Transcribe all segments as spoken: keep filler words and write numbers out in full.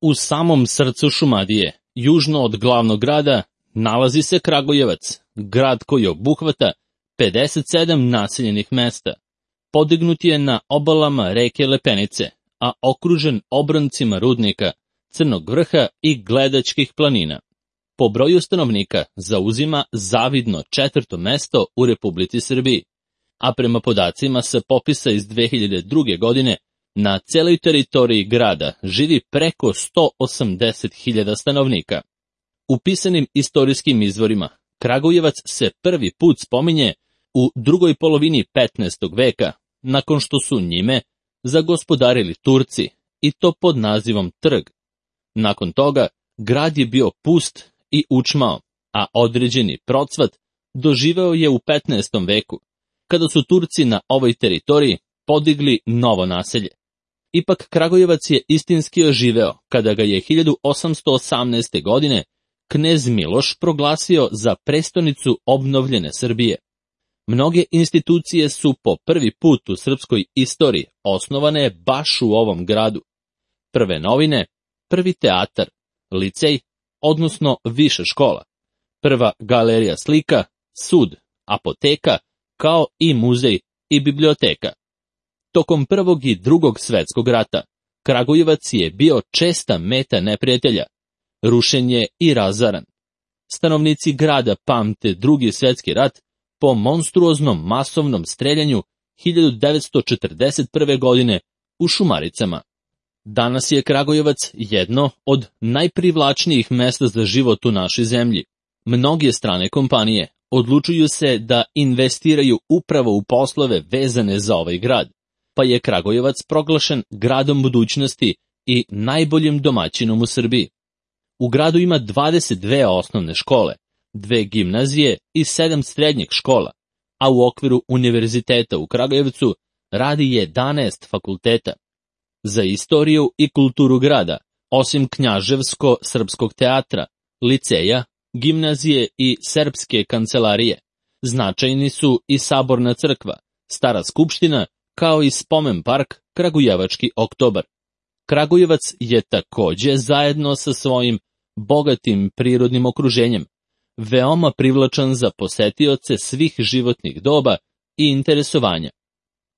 U samom srcu Šumadije, južno od glavnog grada, nalazi se Kragujevac, grad koji obuhvata pedeset sedam naseljenih mesta. Podignut je na obalama reke Lepenice, a okružen obroncima rudnika, Crnog vrha i Gledačkih planina. Po broju stanovnika zauzima zavidno četvrto mesto u Republici Srbiji, a prema podacima sa popisa iz dve hiljade druge. godine na celoj teritoriji grada živi preko sto osamdeset hiljada stanovnika. U pisanim istorijskim izvorima Kragujevac se prvi put spominje u drugoj polovini petnaestog veka, nakon što su njime zagospodarili Turci, i to pod nazivom Trg. Nakon toga grad je bio pust i učmao, a određeni procvat doživeo je u petnaestom veku, kada su Turci na ovoj teritoriji podigli novo naselje. Ipak Kragujevac je istinski oživeo kada ga je hiljadu osamsto osamnaeste. godine knez Miloš proglasio za prestonicu obnovljene Srbije. Mnoge institucije su po prvi put u srpskoj istoriji osnovane baš u ovom gradu. Prve novine, prvi teatar, licej, odnosno viša škola, prva galerija slika, sud, apoteka, kao i muzej i biblioteka. Tokom Prvog i Drugog svetskog rata, Kragujevac je bio česta meta neprijatelja, rušen je i razaran. Stanovnici grada pamte Drugi svetski rat po monstruoznom masovnom streljanju hiljadu devetsto četrdeset prve. godine u Šumaricama. Danas je Kragujevac jedno od najprivlačnijih mesta za život u našoj zemlji. Mnoge strane kompanije odlučuju se da investiraju upravo u poslove vezane za ovaj grad, pa je Kragujevac proglašen gradom budućnosti i najboljim domaćinom u Srbiji. U gradu ima dvadeset dve osnovne škole, dve gimnazije i sedam srednjih škola, a u okviru univerziteta u Kragujevcu radi jedanaest fakulteta. Za istoriju i kulturu grada, osim Knjaževsko-srpskog teatra, liceja, gimnazije i serbske kancelarije, značajni su i Saborna crkva, Stara skupština, kao i spomen park Kragujevački oktobar. Kragujevac je takođe zajedno sa svojim bogatim prirodnim okruženjem veoma privlačan za posetioce svih životnih doba i interesovanja.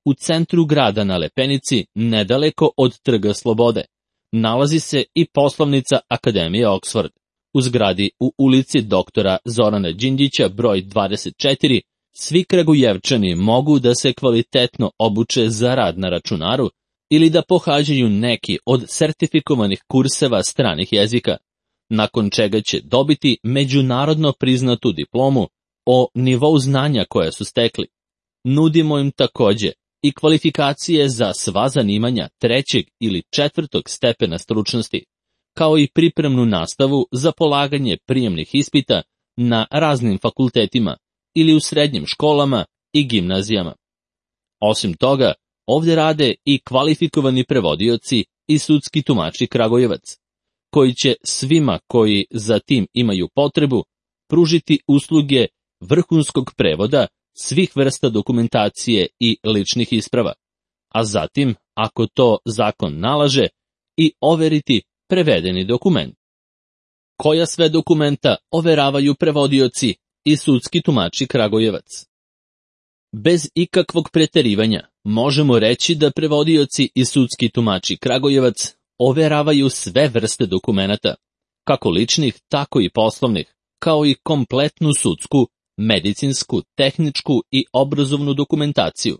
U centru grada na Lepenici, nedaleko od Trga Slobode, nalazi se i poslovnica Akademije Oxford. U zgradi u ulici doktora Zorana Đinđića broj dvadeset četiri svi Kragujevčani mogu da se kvalitetno obuče za rad na računaru ili da pohađaju neki od sertifikovanih kurseva stranih jezika, nakon čega će dobiti međunarodno priznatu diplomu o nivou znanja koje su stekli. Nudimo im takođe i kvalifikacije za sva zanimanja trećeg ili četvrtog stepena stručnosti, kao i pripremnu nastavu za polaganje prijemnih ispita na raznim fakultetima ili u srednjim školama i gimnazijama. Osim toga, ovde rade i kvalifikovani prevodioci i sudski tumači Kragujevac, koji će svima koji za tim imaju potrebu pružiti usluge vrhunskog prevoda svih vrsta dokumentacije i ličnih isprava, a zatim, ako to zakon nalaže, i overiti prevedeni dokument. Koja sve dokumenta overavaju prevodioci i sudski tumači Kragujevac? Bez ikakvog preterivanja možemo reći da prevodioci i sudski tumači Kragujevac overavaju sve vrste dokumenata, kako ličnih, tako i poslovnih, kao i kompletnu sudsku, medicinsku, tehničku i obrazovnu dokumentaciju.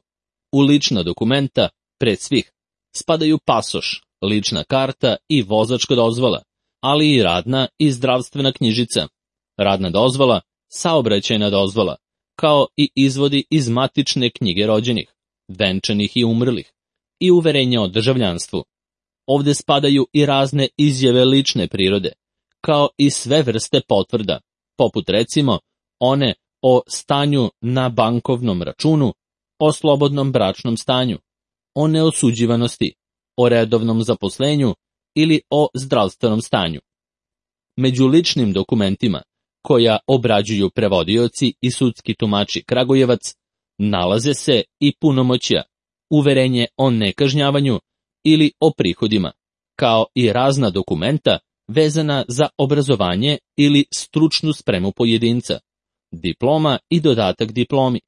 U lična dokumenta, pred svih, spadaju pasoš, lična karta i vozačka dozvola, ali i radna i zdravstvena knjižica, radna dozvola, saobraćajna dozvola, kao i izvodi iz matične knjige rođenih, venčanih i umrlih, i uverenja o državljanstvu. Ovde spadaju i razne izjave lične prirode, kao i sve vrste potvrda, poput recimo one o stanju na bankovnom računu, o slobodnom bračnom stanju, o neosuđivanosti, o redovnom zaposlenju ili o zdravstvenom stanju. Među ličnim dokumentima, koja obrađuju prevodioci i sudski tumači Kragujevac, nalaze se i punomoćja, uverenje o nekažnjavanju ili o prihodima, kao i razna dokumenta vezana za obrazovanje ili stručnu spremu pojedinca, diploma i dodatak diplomi,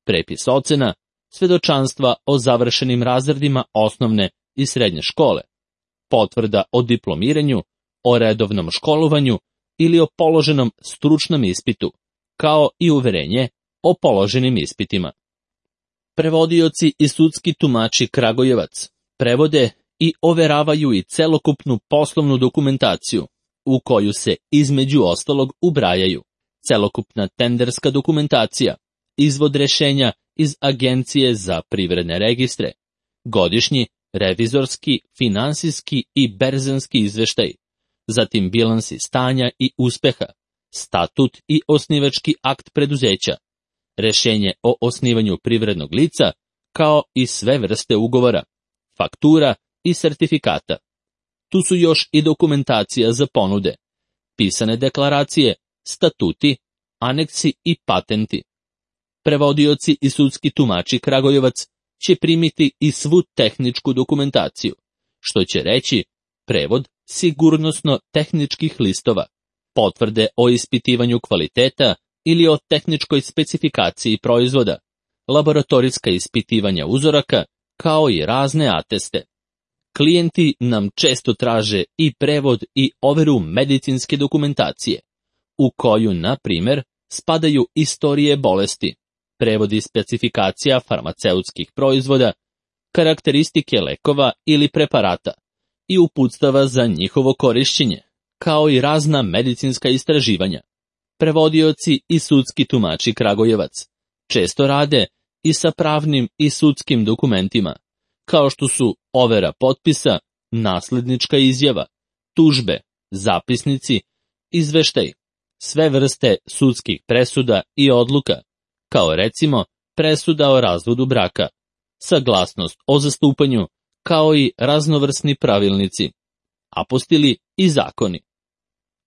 prepis ocena, svedočanstva o završenim razredima osnovne i srednje škole, potvrda o diplomiranju, o redovnom školovanju ili o položenom stručnom ispitu, kao i uverenje o položenim ispitima. Prevodioci i sudski tumači Kragujevac prevode i overavaju i celokupnu poslovnu dokumentaciju, u koju se između ostalog ubrajaju celokupna tenderska dokumentacija, izvod rešenja iz Agencije za privredne registre, godišnji, revizorski, finansijski i berzanski izveštaj, zatim bilansi stanja i uspeha, statut i osnivački akt preduzeća, rešenje o osnivanju privrednog lica, kao i sve vrste ugovora, faktura i sertifikata. Tu su još i dokumentacija za ponude, pisane deklaracije, statuti, aneksi i patenti. Prevodioci i sudski tumači Kragujevac će primiti i svu tehničku dokumentaciju, što će reći prevod sigurnosno-tehničkih listova, potvrde o ispitivanju kvaliteta ili o tehničkoj specifikaciji proizvoda, laboratorijska ispitivanja uzoraka, kao i razne ateste. Klijenti nam često traže i prevod i overu medicinske dokumentacije, u koju, na primjer, spadaju istorije bolesti, prevodi specifikacija farmaceutskih proizvoda, karakteristike lekova ili preparata i uputstava za njihovo korišćenje, kao i razna medicinska istraživanja. Prevodioci i sudski tumači Kragujevac često rade i sa pravnim i sudskim dokumentima, kao što su overa potpisa, naslednička izjava, tužbe, zapisnici, izveštaj, sve vrste sudskih presuda i odluka, kao recimo presuda o razvodu braka, saglasnost o zastupanju, kao i raznovrsni pravilnici, apostili i zakoni.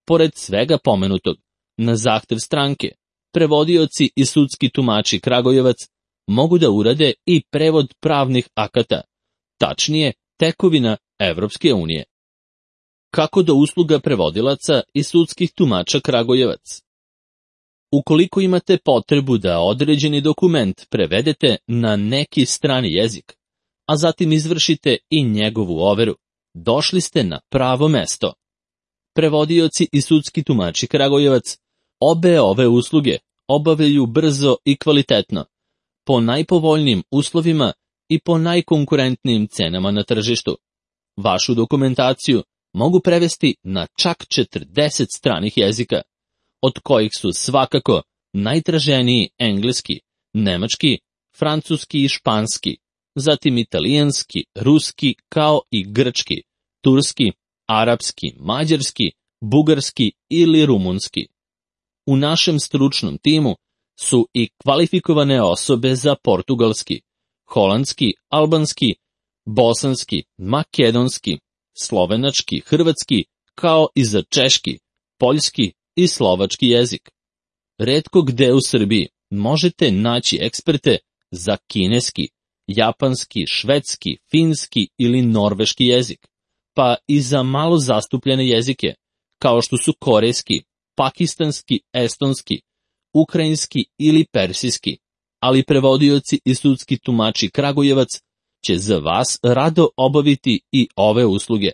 Pored svega pomenutog, na zahtev stranke, prevodioci i sudski tumači Kragujevac mogu da urade i prevod pravnih akata, tačnije tekovina Evropske unije. Kako do usluga prevodilaca i sudskih tumača Kragujevac? Ukoliko imate potrebu da određeni dokument prevedete na neki strani jezik, a zatim izvršite i njegovu overu, došli ste na pravo mesto. Prevodioci i sudski tumači Kragujevac obe ove usluge obavljaju brzo i kvalitetno, po najpovoljnijim uslovima i po najkonkurentnijim cenama na tržištu. Vašu dokumentaciju mogu prevesti na čak četrdeset stranih jezika, od kojih su svakako najtraženiji engleski, nemački, francuski i španski, zatim italijanski, ruski, kao i grčki, turski, arapski, mađarski, bugarski ili rumunski. U našem stručnom timu su i kvalifikovane osobe za portugalski, holandski, albanski, bosanski, makedonski, slovenački, hrvatski, kao i za češki, poljski i slovački jezik. Retko gde u Srbiji možete naći eksperte za kineski, japanski, švedski, finski ili norveški jezik, pa i za malo zastupljene jezike, kao što su korejski, pakistanski, estonski, ukrajinski ili persijski, ali prevodioci i sudski tumači Kragujevac će za vas rado obaviti i ove usluge.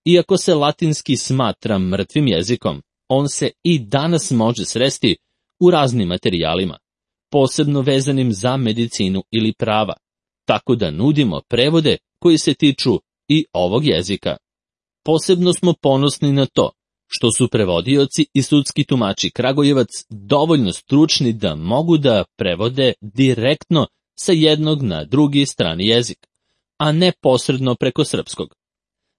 Iako se latinski smatra mrtvim jezikom, on se i danas može sresti u raznim materijalima, posebno vezanim za medicinu ili prava, tako da nudimo prevode koji se tiču i ovog jezika. Posebno smo ponosni na to što su prevodioci i sudski tumači Kragujevac dovoljno stručni da mogu da prevode direktno sa jednog na drugi strani jezik, a ne posredno preko srpskog.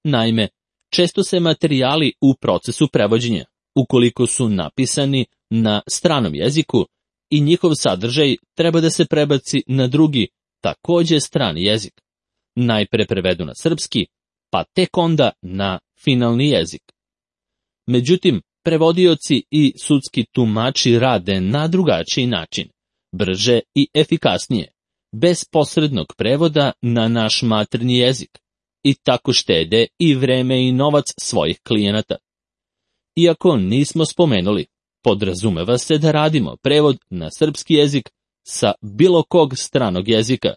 Naime, često se materijali u procesu prevođenja, ukoliko su napisani na stranom jeziku, i njihov sadržaj treba da se prebaci na drugi, takođe strani jezik. Najpre prevedu na srpski, pa tek onda na finalni jezik. Međutim, prevodioci i sudski tumači rade na drugačiji način, brže i efikasnije, bez posrednog prevoda na naš maternji jezik, i tako štede i vreme i novac svojih klijenata. Iako nismo spomenuli, podrazumeva se da radimo prevod na srpski jezik sa bilo kog stranog jezika,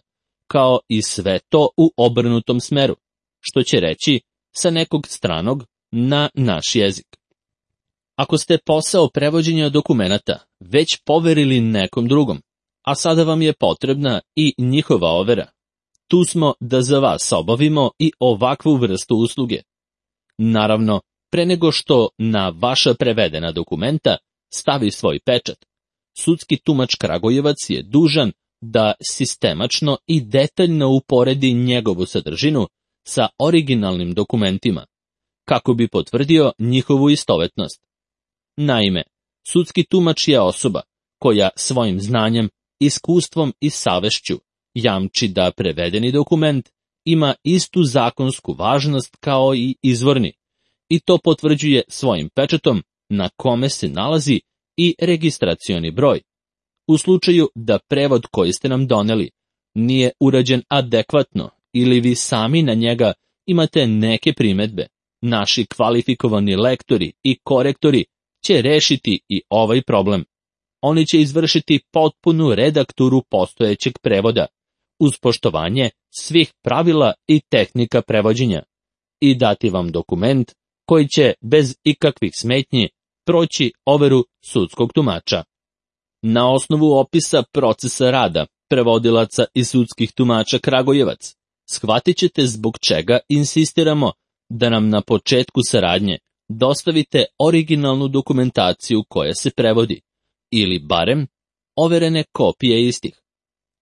kao i sve to u obrnutom smeru, što će reći sa nekog stranog na naš jezik. Ako ste posao prevođenja dokumenata već poverili nekom drugom, a sada vam je potrebna i njihova overa, tu smo da za vas obavimo i ovakvu vrstu usluge. Naravno, pre nego što na vaša prevedena dokumenta stavi svoj pečat, sudski tumač Kragujevac je dužan da sistemačno i detaljno uporedi njegovu sadržinu sa originalnim dokumentima, kako bi potvrdio njihovu istovetnost. Naime, sudski tumač je osoba koja svojim znanjem, iskustvom i savešću jamči da prevedeni dokument ima istu zakonsku važnost kao i izvorni, i to potvrđuje svojim pečatom na kome se nalazi i registracioni broj. U slučaju da prevod koji ste nam doneli nije urađen adekvatno ili vi sami na njega imate neke primedbe, naši kvalifikovani lektori i korektori će rešiti i ovaj problem. Oni će izvršiti potpunu redakturu postojećeg prevoda, uz poštovanje svih pravila i tehnika prevođenja, i dati vam dokument koji će bez ikakvih smetnji proći overu sudskog tumača. Na osnovu opisa procesa rada prevodilaca i sudskih tumača Kragujevac, shvatit ćete zbog čega insistiramo da nam na početku saradnje dostavite originalnu dokumentaciju koja se prevodi, ili barem overene kopije istih.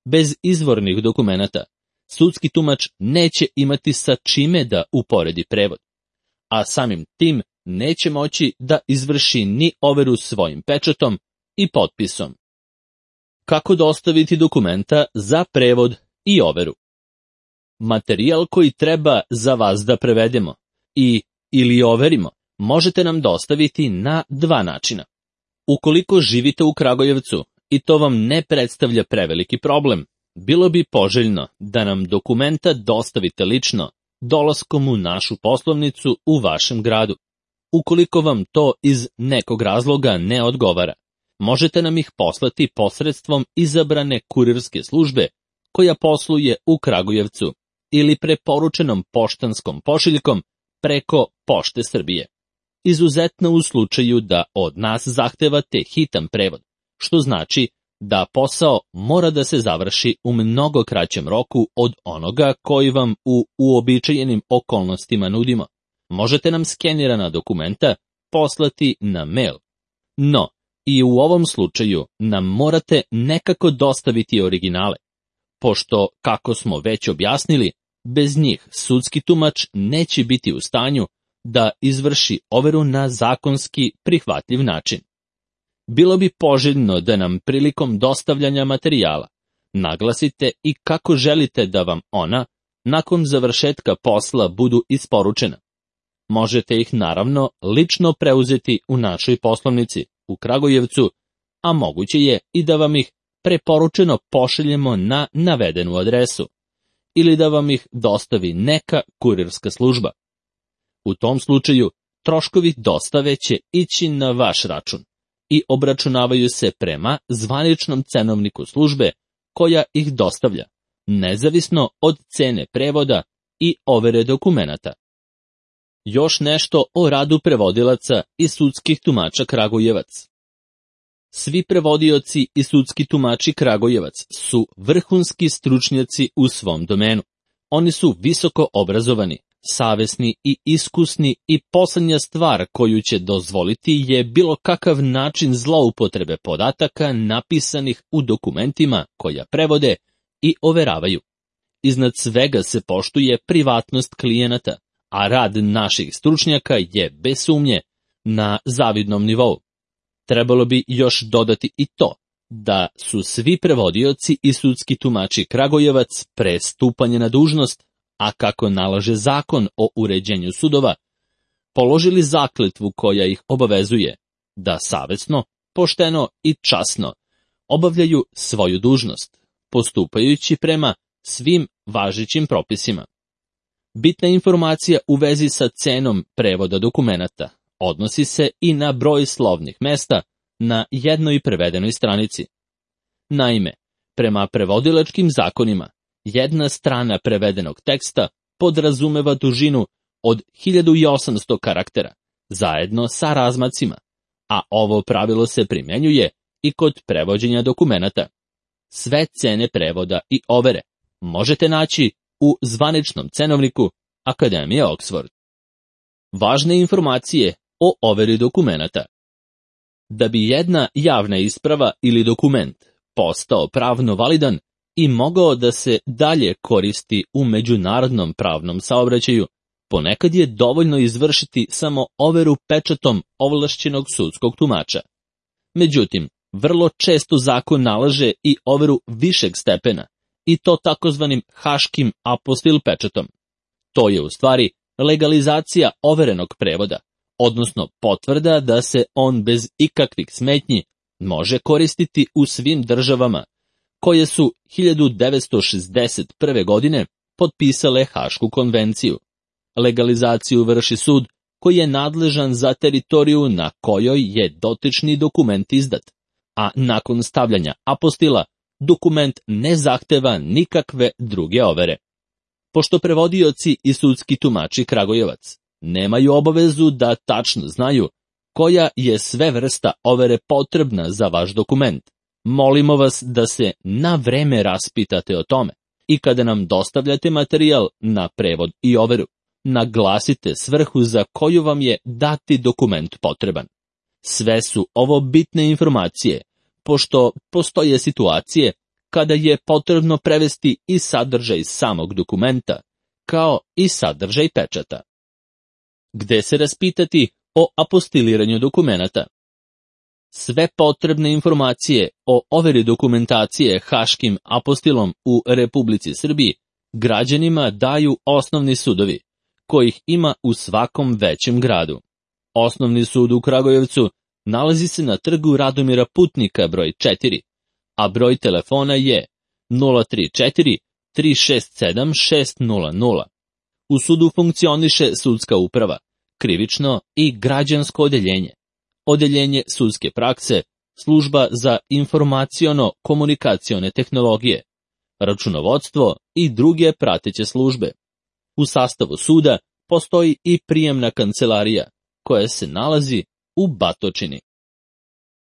Bez izvornih dokumenata, sudski tumač neće imati sa čime da uporedi prevod, a samim tim neće moći da izvrši ni overu svojim pečatom i potpisom. Kako dostaviti dokumenta za prevod i overu? Materijal koji treba za vas da prevedemo i ili overimo možete nam dostaviti na dva načina. Ukoliko živite u Kragujevcu i to vam ne predstavlja preveliki problem, bilo bi poželjno da nam dokumenta dostavite lično, dolaskom u našu poslovnicu u vašem gradu. Ukoliko vam to iz nekog razloga ne odgovara, možete nam ih poslati posredstvom izabrane kurirske službe koja posluje u Kragujevcu ili preporučenom poštanskom pošiljkom preko Pošte Srbije. Izuzetno u slučaju da od nas zahtevate hitan prevod, što znači da posao mora da se završi u mnogo kraćem roku od onoga koji vam u uobičajenim okolnostima nudimo. Možete nam skenirana dokumenta poslati na mail. No, i u ovom slučaju nam morate nekako dostaviti originale, pošto, kako smo već objasnili, bez njih sudski tumač neće biti u stanju da izvrši overu na zakonski prihvatljiv način. Bilo bi poželjno da nam prilikom dostavljanja materijala naglasite i kako želite da vam ona, nakon završetka posla, budu isporučena. Možete ih naravno lično preuzeti u našoj poslovnici u Kragujevcu, a moguće je i da vam ih preporučeno pošaljemo na navedenu adresu, ili da vam ih dostavi neka kurirska služba. U tom slučaju, troškovi dostave će ići na vaš račun i obračunavaju se prema zvaničnom cenovniku službe koja ih dostavlja, nezavisno od cene prevoda i overe dokumenata. Još nešto o radu prevodilaca i sudskih tumača Kragujevac. Svi prevodioci i sudski tumači Kragujevac su vrhunski stručnjaci u svom domenu. Oni su visoko obrazovani, savesni i iskusni i poslednja stvar koju će dozvoliti je bilo kakav način zloupotrebe podataka napisanih u dokumentima koja prevode i overavaju. Iznad svega se poštuje privatnost klijenata, a rad naših stručnjaka je bez sumnje na zavidnom nivou. Trebalo bi još dodati i to da su svi prevodioci i sudski tumači Kragujevac pre stupanja na dužnost, a kako nalaže zakon o uređenju sudova, položili zakletvu koja ih obavezuje da savesno, pošteno i časno obavljaju svoju dužnost, postupajući prema svim važećim propisima. Bitna informacija u vezi sa cenom prevoda dokumenata odnosi se i na broj slovnih mesta na jednoj prevedenoj stranici. Naime, prema prevodilačkim zakonima, jedna strana prevedenog teksta podrazumeva dužinu od hiljadu osamsto karaktera, zajedno sa razmacima, a ovo pravilo se primjenjuje i kod prevođenja dokumenata. Sve cene prevoda i overe možete naći u zvaničnom cenovniku Akademije Oxford. Važne informacije o overi dokumenata. Da bi jedna javna isprava ili dokument postao pravno validan i mogao da se dalje koristi u međunarodnom pravnom saobraćaju, ponekad je dovoljno izvršiti samo overu pečatom ovlašćenog sudskog tumača. Međutim, vrlo često zakon nalaže i overu višeg stepena, i to takozvanim haškim apostil pečatom. To je u stvari legalizacija overenog prevoda, odnosno potvrda da se on bez ikakvih smetnji može koristiti u svim državama koje su hiljadu devetsto šezdeset prve. godine potpisale Hašku konvenciju. Legalizaciju vrši sud koji je nadležan za teritoriju na kojoj je dotični dokument izdat, a nakon stavljanja apostila dokument ne zahteva nikakve druge overe. Pošto prevodioci i sudski tumači Kragujevac nemaju obavezu da tačno znaju koja je sve vrsta overe potrebna za vaš dokument, molimo vas da se na vreme raspitate o tome i kada nam dostavljate materijal na prevod i overu, naglasite svrhu za koju vam je dati dokument potreban. Sve su ovo bitne informacije, pošto postoje situacije kada je potrebno prevesti i sadržaj samog dokumenta, kao i sadržaj pečata. Gde se raspitati o apostiliranju dokumenata? Sve potrebne informacije o overi dokumentacije haškim apostilom u Republici Srbiji građanima daju osnovni sudovi, kojih ima u svakom većem gradu. Osnovni sud u Kragujevcu nalazi se na trgu Radomira Putnika broj četiri, a broj telefona je nula tri četiri tri šest sedam šest nula nula. U sudu funkcioniše sudska uprava, krivično i građansko odeljenje, odeljenje sudske prakse, služba za informaciono-komunikacione tehnologije, računovodstvo i druge prateće službe. U sastavu suda postoji i prijemna kancelarija, koja se nalazi u Batočini.